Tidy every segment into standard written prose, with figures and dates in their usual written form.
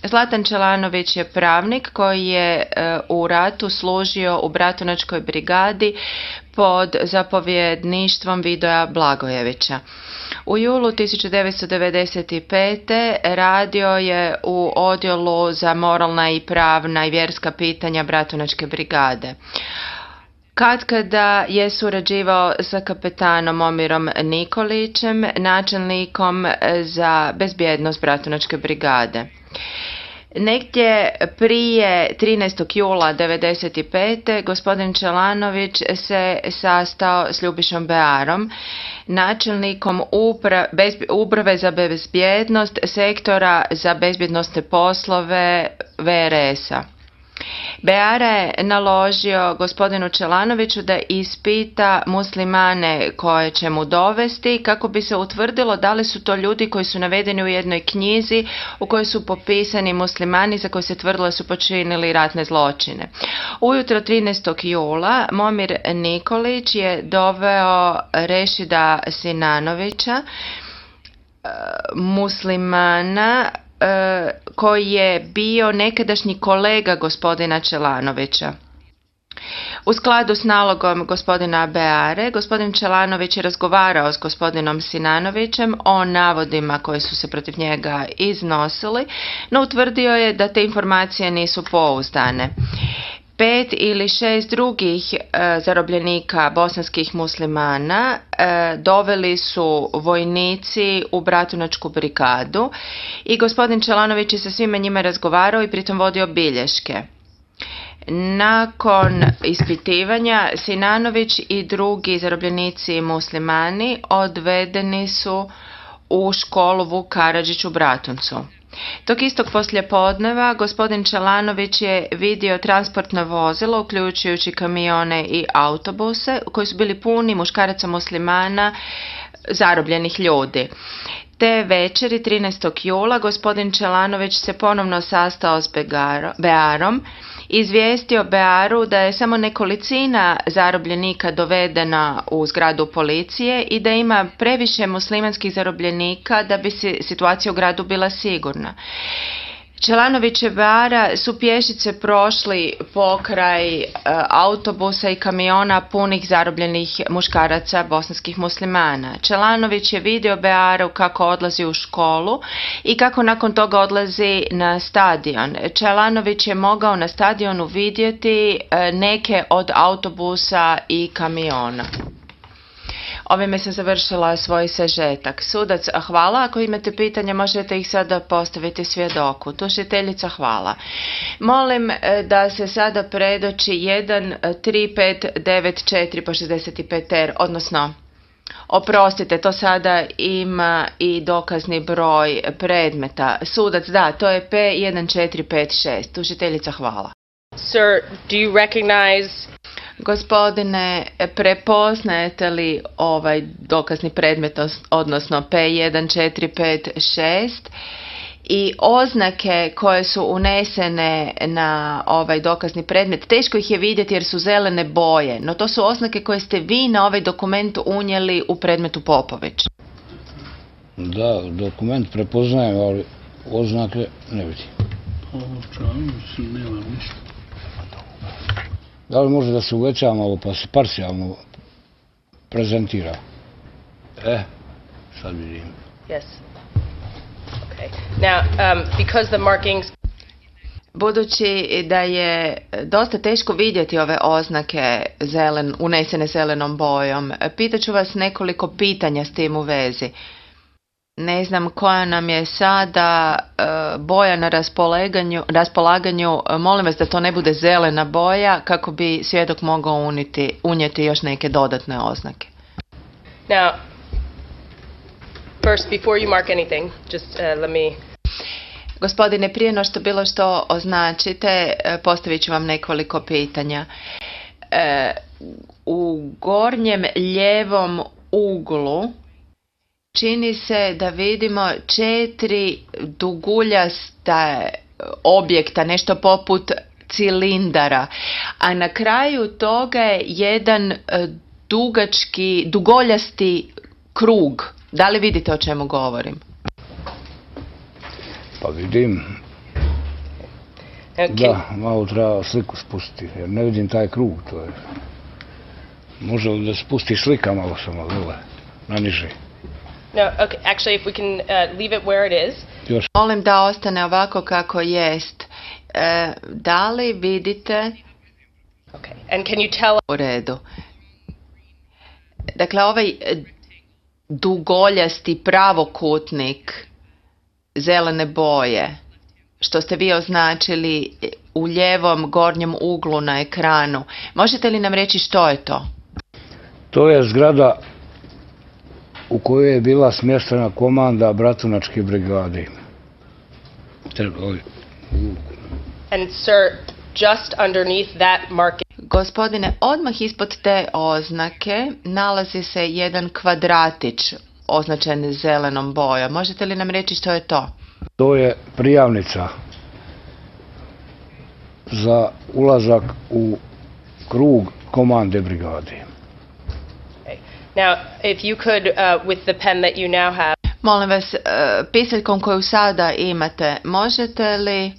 Zlatan Čelanović je pravnik koji je u ratu služio u Bratunačkoj brigadi pod zapovjedništvom Vidoja Blagojevića. U julu 1995. radio je u odjelu za moralna i pravna i vjerska pitanja Bratunačke brigade. Katkada je surađivao sa kapetanom Momirom Nikolićem, načelnikom za bezbjednost Bratunačke brigade. Negdje prije 13. jula 1995. gospodin Čelanović se sastao s Ljubišom Bearom, načelnikom uprave za bezbjednost sektora za bezbjednosne poslove VRS-a. Beara je naložio gospodinu Čelanoviću da ispita muslimane koje će mu dovesti kako bi se utvrdilo da li su to ljudi koji su navedeni u jednoj knjizi u kojoj su popisani muslimani za koje se tvrdilo su počinili ratne zločine. Ujutro 13. jula Momir Nikolić je doveo Rešida Sinanovića, muslimana koji je bio nekadašnji kolega gospodina Čelanovića. U skladu s nalogom gospodina Beare, gospodin Čelanović je razgovarao s gospodinom Sinanovićem o navodima koji su se protiv njega iznosili, no utvrdio je da te informacije nisu pouzdane. 5 ili 6 drugih zarobljenika bosanskih muslimana doveli su vojnici u Bratunačku brigadu i gospodin Čelanović je sa svima njima razgovarao i pritom vodio bilješke. Nakon ispitivanja Sinanović i drugi zarobljenici muslimani odvedeni su u školu Vuk Karadžić u Bratuncu. Tog istog poslijepodneva gospodin Čelanović je vidio transportno vozilo, uključujući kamione i autobuse, koji su bili puni muškaraca muslimana, zarobljenih ljudi. Te večeri 13. jula gospodin Čelanović se ponovno sastao s Bearom, izvijestio Bearu da je samo nekolicina zarobljenika dovedena u zgradu policije i da ima previše muslimanskih zarobljenika da bi situacija u gradu bila sigurna. Čelanović i Beara su pješice prošli pokraj autobusa i kamiona punih zarobljenih muškaraca bosanskih muslimana. Čelanović je vidio Bearu kako odlazi u školu i kako nakon toga odlazi na stadion. Čelanović je mogao na stadionu vidjeti neke od autobusa i kamiona. Ovime sam završila svoj sažetak. Sudac, hvala. Ako imate pitanja, možete ih sada postaviti svjedoku. Tužiteljica, hvala. Molim da se sada predoči 13594 po 65R, odnosno, oprostite, to sada ima i dokazni broj predmeta. Sudac, da, to je P1456. Tužiteljica, hvala. Sir, do you recognize... Gospodine, prepoznajete li ovaj dokazni predmet, odnosno P1456 i oznake koje su unesene na ovaj dokazni predmet? Teško ih je vidjeti jer su zelene boje, no to su oznake koje ste vi na ovaj dokument unijeli u predmetu Popović. Da, dokument prepoznajem, ali oznake ne vidim. Ovo čavim, nema ništa. Da li može da se uveća malo pa se parcijalno prezentira? Sad vidim. Yes. Okay. Now, because the markings... Budući da je dosta teško vidjeti ove oznake unesene zelenom bojom, pitaću vas nekoliko pitanja s tim u vezi. Ne znam koja nam je sada boja na raspolaganju, molim vas da to ne bude zelena boja kako bi svjedok mogao unijeti još neke dodatne oznake. Now, first, before you mark anything, just let me... Gospodine, prije no što bilo što označite, postavit ću vam nekoliko pitanja. U gornjem lijevom uglu čini se da vidimo 4 duguljasta objekta, nešto poput cilindara, a na kraju toga je jedan dugoljasti krug. Da li vidite o čemu govorim? Pa vidim, Da, malo treba sliku spustiti, jer ne vidim taj krug, to je... Može li da spusti slika malo samo dole, na niže? No, okay. Actually, if we can leave it where it is. Još. Molim da ostane ovako kako jest. Da li vidite? Okay. And can you tell? U redu. Dakle, ovaj dugoljasti pravokutnik zelene boje, što ste vi označili u lijevom gornjem uglu na ekranu, možete li nam reći što je to? To je zgrada u kojoj je bila smještena komanda Bratunačke brigade. And sir, just underneath that marking. Gospodine, odmah ispod te oznake nalazi se jedan kvadratić označen zelenom bojom. Možete li nam reći što je to? To je prijavnica za ulazak u krug komande brigade. Okay. Now, if you could, with the pen that you now have. Molim vas, pisaljkom koju sada imate, možete li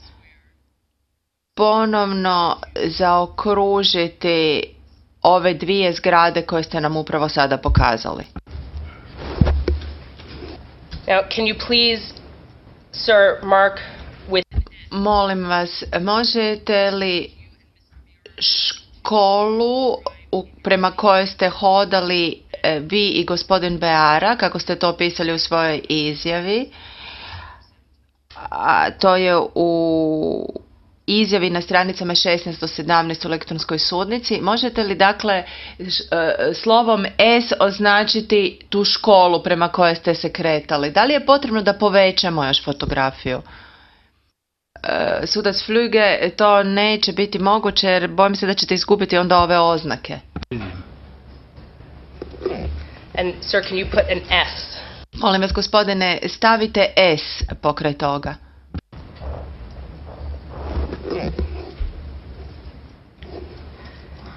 ponovno zaokružiti ove dvije zgrade koje ste nam upravo sada pokazali? Now, can you please, sir, mark with... Molim vas, možete li školu prema kojoj ste hodali vi i gospodin Beara, kako ste to opisali u svojoj izjavi, a to je u izjavi na stranicama 16 do 17 u elektronskoj sudnici, možete li dakle slovom S označiti tu školu prema kojoj ste se kretali? Da li je potrebno da povećamo još fotografiju? Sudac Flüge, to neće biti moguće jer bojim se da ćete izgubiti onda ove oznake. And sir, can you put an S? Molim vas, gospodine, stavite S pokraj toga.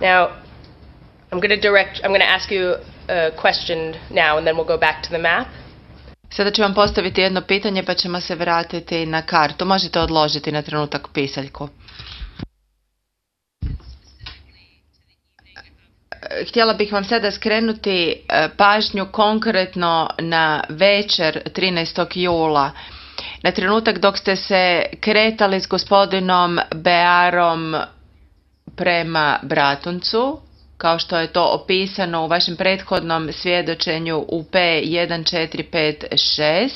Now, I'm going to ask you a question now and then we'll go back to the map. Sada ću vam postaviti jedno pitanje pa ćemo se vratiti na kartu. Možete odložiti na trenutak pisaljku. Htjela bih vam sada skrenuti pažnju konkretno na večer 13. jula. Na trenutak dok ste se kretali s gospodinom Bearom prema Bratuncu, kao što je to opisano u vašem prethodnom svjedočenju u P1456,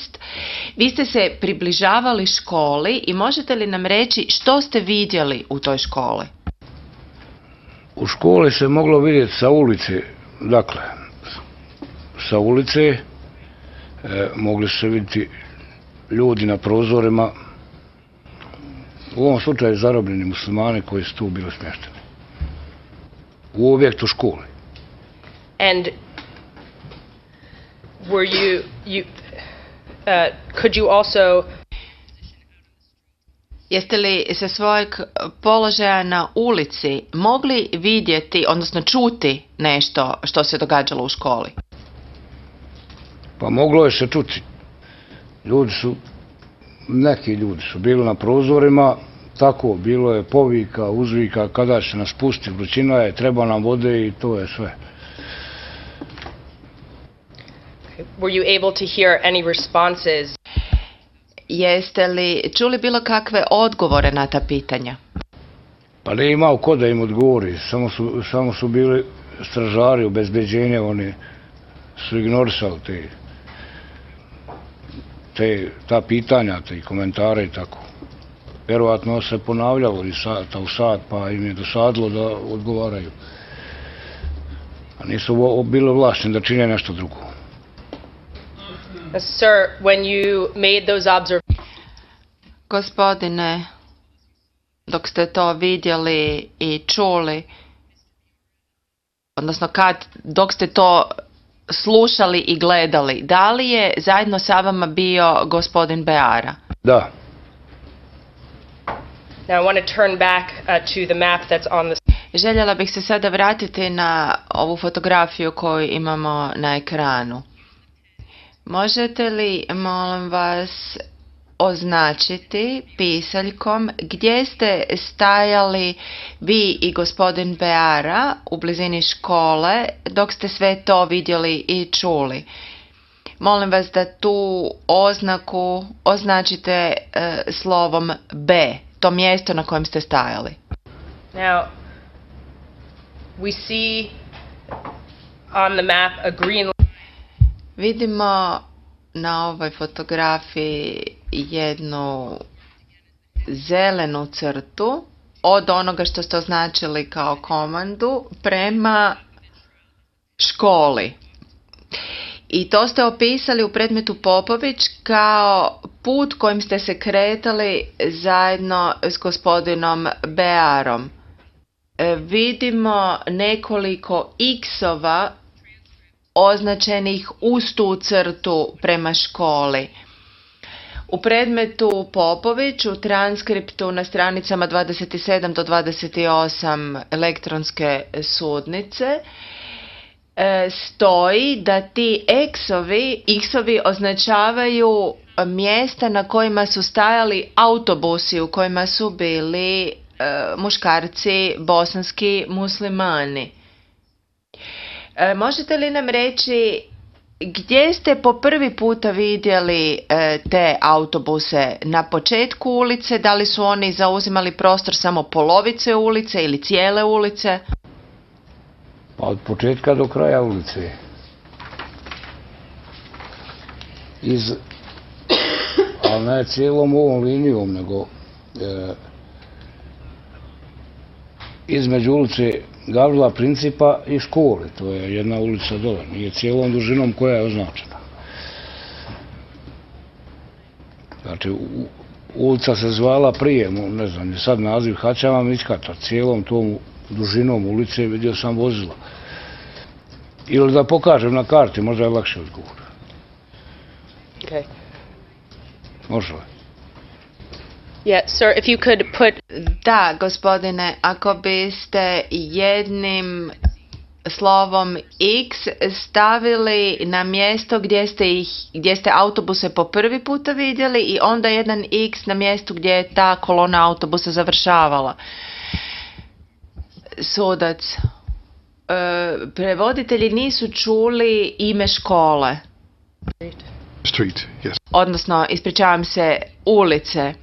vi ste se približavali školi i možete li nam reći što ste vidjeli u toj školi? U školi se moglo vidjeti sa ulice, dakle, sa ulice mogli su se vidjeti ljudi na prozorima, u ovom slučaju zarobljeni muslimani koji su tu bili smješteni u objektu škole. And were could you also... Jeste li sa svojeg položaja na ulici mogli vidjeti, odnosno čuti nešto što se događalo u školi? Pa moglo je se čuti. Neki ljudi su bili na prozorima, tako, bilo je povika, uzvika, kada će nas pusti, vrućina je, treba nam vode i to je sve. Were you able to hear any responses? Jeste li čuli bilo kakve odgovore na ta pitanja? Pa nije imao ko da im odgovori, samo su bili stražari, obezbeđenje, oni su ignorisali ta pitanja, te komentare i tako. Vjerovatno se ponavljalo iz sata u sat, pa im je dosadilo da odgovaraju. A nisu bili ovlašteni da čine nešto drugo. Sir, when you made those observations... Gospodine, dok ste to vidjeli i čuli, odnosno dok ste to slušali i gledali, da li je zajedno sa vama bio gospodin Beara? Da. Now I want to turn back to the map that's on the... Željela bih se sada vratiti na ovu fotografiju koju imamo na ekranu. Možete li, molim vas, označiti pisaljkom gdje ste stajali vi i gospodin Beara u blizini škole dok ste sve to vidjeli i čuli. Molim vas da tu oznaku označite slovom B, to mjesto na kojem ste stajali. Now, we see on the map a green. Vidimo na ovoj fotografiji jednu zelenu crtu od onoga što ste označili kao komandu prema školi. I to ste opisali u predmetu Popović kao put kojim ste se kretali zajedno s gospodinom Bearom. Vidimo nekoliko x-ova označenih uz tu crtu prema školi. U predmetu Popović u transkriptu na stranicama 27 do 28 elektronske sudnice stoji da ti x-ovi označavaju mjesta na kojima su stajali autobusi u kojima su bili muškarci bosanski muslimani. Možete li nam reći gdje ste po prvi puta vidjeli te autobuse? Na početku ulice? Da li su oni zauzimali prostor samo polovice ulice ili cijele ulice? Pa od početka do kraja ulice. Ali ne cijelom ovom linijom, nego između ulice Gavrila Principa i škole. To je jedna ulica dole, nije cijelom dužinom koja je označena. Znači, ulica se zvala prije, ne znam, je sad naziv Hačama Mićkata, cijelom tom dužinom ulice vidio sam vozilo. Ili da pokažem na karti, možda je lakše odgovor. Okay. Može li? Yeah, sir, if you could put. Da, gospodine, ako biste jednim slovom X stavili na mjesto gdje ste autobuse po prvi puta vidjeli i onda jedan X na mjestu gdje je ta kolona autobusa završavala. Sudac, prevoditelji nisu čuli ime škole. Street, yes. Odnosno, ispričavam se, ulice.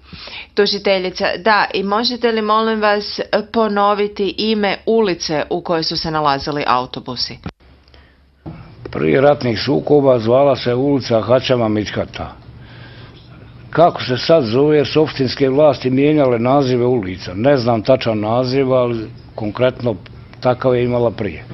Tužiteljica, da, i možete li molim vas ponoviti ime ulice u kojoj su se nalazili autobusi? Prije ratnih sukoba zvala se ulica Hačama Mićkata. Kako se sad zove, jer su opštinske vlasti mijenjale nazive ulica. Ne znam tačan naziv, ali konkretno takav je imala prije.